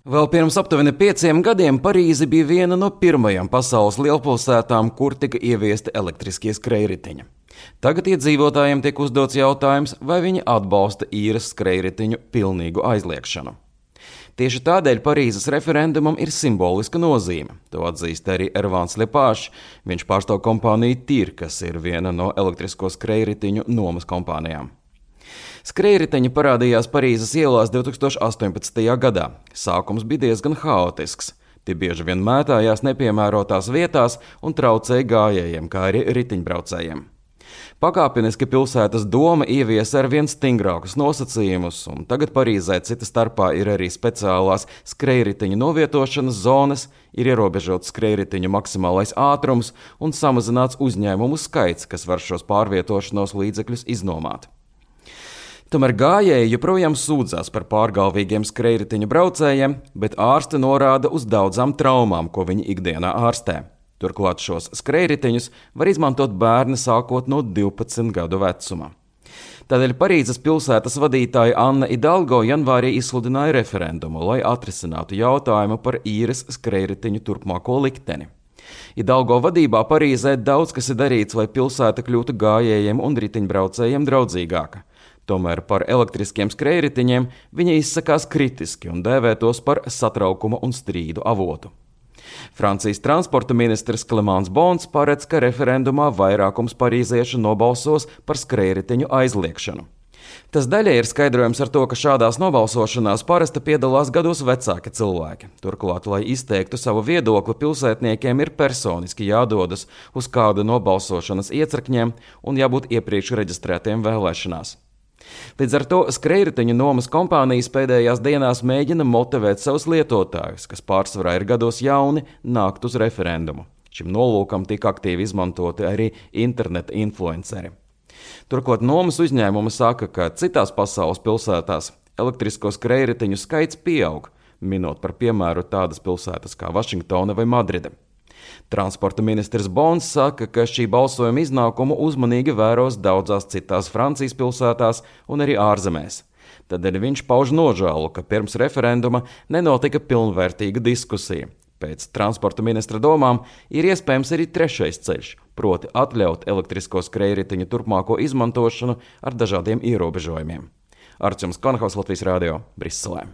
Vēl pirms aptuveni 5 gadiem Parīze bija viena no pirmajām pasaules lielpilsētām, kur tika ieviesti elektriskie skrejriteņi. Tagad iedzīvotājiem tiek uzdots jautājums, vai viņi atbalsta īres skrejriteņu pilnīgu aizliegšanu. Tieši tādēļ Parīzes referendumam ir simboliska nozīme. To atzīst arī Ervāns Lepāšs. Viņš pārstāv kompāniju TIR, kas ir viena no elektrisko skrejriteņu nomas kompānijām. Skrejriteņi parādījās Parīzes ielās 2018. gadā. Sākums bija diezgan haotisks. Tie bieži vien mētājās nepiemērotās vietās un traucēja gājējiem, kā arī riteņbraucējiem. Pakāpeniski pilsētas doma ieviesa ar vien stingrākus nosacījumus, un tagad Parīzē cita starpā ir arī speciālās skrejriteņu novietošanas zonas, ir ierobežots skrejriteņu maksimālais ātrums un samazināts uzņēmumu skaits, kas var šos pārvietošanos līdzekļus iznomāt. Tomēr gājēji joprojām sūdzās par pārgalvīgiem skrejriteņu braucējiem, bet ārsti norāda uz daudzām traumām, ko viņi ikdienā ārstē. Turklāt šos skrejriteņus var izmantot bērni sākot no 12 gadu vecuma. Tādēļ Parīzes pilsētas vadītāja Anna Idalgo janvārī izsludināja referendumu, lai atrisinātu jautājumu par īres skrejriteņu turpmāko likteni. Idalgo vadībā Parīzē daudz kas ir darīts, lai pilsēta kļūtu gājējiem un riteņbraucējiem draudzīgāka. Tomēr par elektriskiem skrejriteņiem viņa izsakās kritiski un dēvē tos par satraukuma un strīdu avotu. Francijas transporta ministrs Clément Beaune paredz, ka referendumā vairākums parīziešu nobalsos par skrejriteņu aizliegšanu. Tas daļai ir skaidrojums ar to, ka šādās nobalsošanās parasti piedalās gados vecāki cilvēki. Turklāt, lai izteiktu savu viedokli, pilsētniekiem ir personiski jādodas uz kādu no balsošanas iecirkņiem un jābūt iepriekš reģistrētiem vēlēšanās. Līdz ar to skrejriteņu nomas kompānijas pēdējās dienās mēģina motivēt savus lietotājus, kas pārsvarā ir gados jauni, nākt uz referendumu. Šim nolūkam tika aktīvi izmantoti arī interneta influenceri. Turklāt nomas uzņēmumi saka, ka citās pasaules pilsētās elektrisko skrejriteņu skaits pieaug, minot par piemēru tādas pilsētas kā Vašingtona vai Madride. Transporta ministrs Beaune saka, ka šī balsojuma iznākumu uzmanīgi vēros daudzās citās Francijas pilsētās un arī ārzemēs. Tādēļ viņš pauž nožēlu, ka pirms referenduma nenotika pilnvērtīga diskusija. Pēc transporta ministra domām ir iespējams arī trešais ceļš, proti atļaut elektrisko skrejriteņu turpmāko izmantošanu ar dažādiem ierobežojumiem. Arčuns Konhaus, Latvijas Radio, Briselē.